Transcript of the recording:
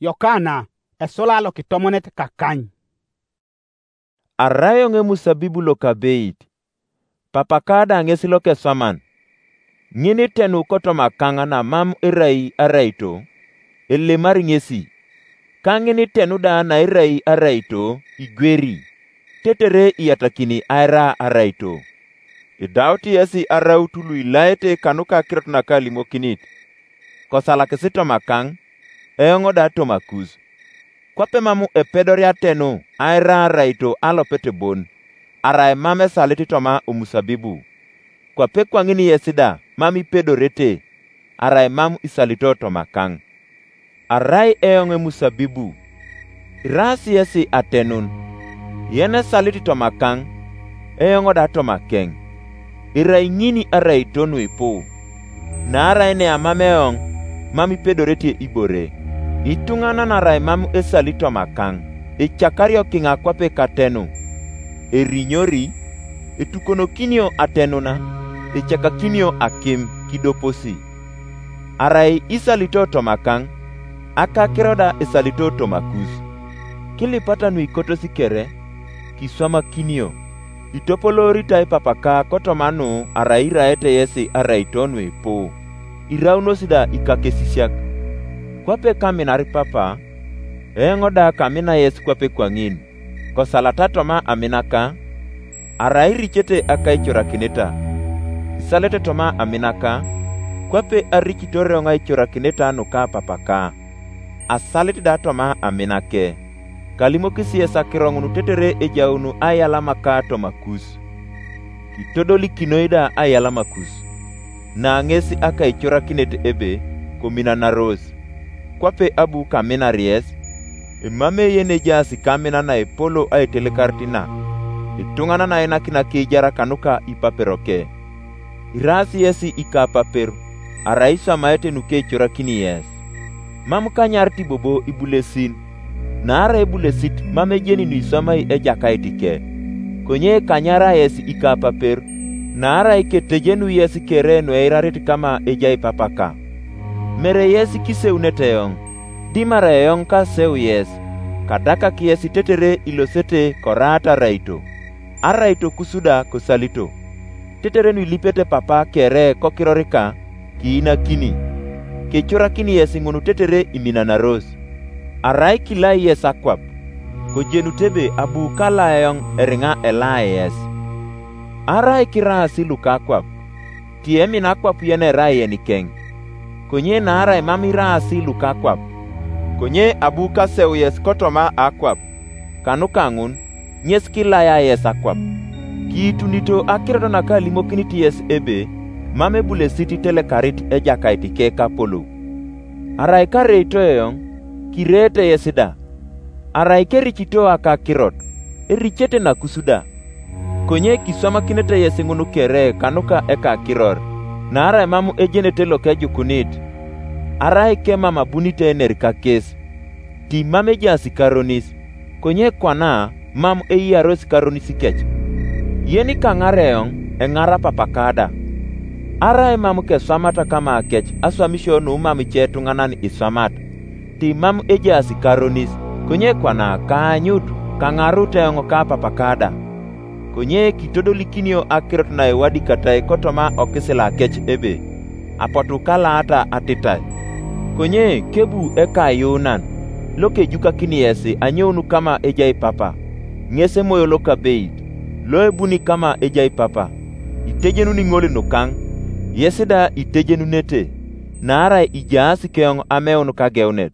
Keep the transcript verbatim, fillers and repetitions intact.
Yokana esula lokitomonet kakany. Arai eoŋ emusabibu lokabeit, Papaka da ŋes lokeswaman. Ŋin itenu kotoma kaŋ namam erai araito, elemari ŋesi, ka ŋin itenu da nairai araito igweri, tetere iyatakini aira araito. Idaut yesi araut luilaete kanuka akirot nakalimokinit, kosalakis toma kaŋ, eoŋ da toma kus. Kwape mam epedori atenu aira araito alopet bon, arai mam esalit toma omusabibu. Kwape kwaŋin yesi da mam ipedorete, arai mam isalito toma kaŋ. Arai eoŋ emusabibu, iraas yesi atenun, yen esalit toma kaŋ, eoŋ da toma keŋ. Irai ŋini araito nuipu, naarai neamam eoŋ, mam ipedorete ibore. Ituŋanan arai mam esali toma kaŋ, icakario kiŋa kwape katenu, erinyori, etukonokinio atenuna, icakakinio akim kidoposi. Arai isalito toma kaŋ, akakiro da isalito toma kus. Kilipata nuikotos kere, kiswamakinio, itopolooritai Papaka kotoma nu arai iraete yesi araito nuipu, iraunos da ikakesisiak. Kwape kaminar Papa, eoŋ da kamina yesi kwape kwaŋin, kosalata toma aminaka, arai iricete akaicorakineta. Isalete toma aminaka, kwape aricitor eoŋ aicorakineta nuka Papaka. Asalit da toma aminake. Kalimokis yes akiro ŋun tetere ejaunu aialamaka toma kus. Kitodolikinoi da aialamakus, na ŋes akaicorakinet ebe kominanaros. Kwape abu kaminar yes, emam eye nejaas kamina naepolo aitelekarit na, ituŋanan nainakina kiijar kanuka ipaperoke. Iraas yesi ikapaper, arai iswamaete nukecorakini yes. Mam kanyarit bobo ibulesin, naarai ibulesit mam ejeni nuiswamai Ejakait ke. Konye kanyara yes ikapaper, naarai ketejenu yes kere nueirarit kama ejai Papaka. Mere yes kiseunete eoŋ, dimara eoŋ kaseu yes, kadakak yes tetere ilosete koraat araito, araito kus da kosalito. Tetere nuilipete Papa kere kokirorika, kiinakini. Kecorakini yes ŋun tetere iminanaros. Arai kilai yes akwap, kojenut ebe abu kala eoŋ eriŋa elaai yes. Arai kiraasi luka akwap, ti emina akwap yen erai yenikeŋ. Konye naarai mam iraasi luka akwap, konye abu kaseu yes kotoma akwap, kanuka ŋun, ŋes kilaya yes akwap. Kiitunito akirot nakalimokinit yes ebe mam ebulesit itelekarit Ejakait ke kapolou. Arai kareito eoŋ, kireete yes da. Arai kericito akakirot, ericete nakus da. Konye kiswamakinete yes ŋun kere kanuka ekakiror, naarai mam ejenete lokejukunit, arai kemam abunit ener kakes, ti mam ejaas karonis, konye kwana mam eyiaros karonis kec. Yen kaŋar eoŋ, eŋara Papaka da. Arai mam keswamata kama kec aswamisio nu mam ice etuŋanan iswamat, ti mam ejaas karonis, konye kwana kaanyut kaŋarut eoŋ ka Papaka da. Konye kitodolikinio akirot naewadikatai kotoma okisila kec ebe, apotu kalaata atitae. Konye kebu ekayuunan, lokejukakini yesi anyoun kama ejai Papa, ŋes Emoyo Lokabeit, loebuni kama ejai Papa, itejenuni ŋol nukaŋ, yes da itejenunete, naarai ijaas keoŋ ameun kageunet.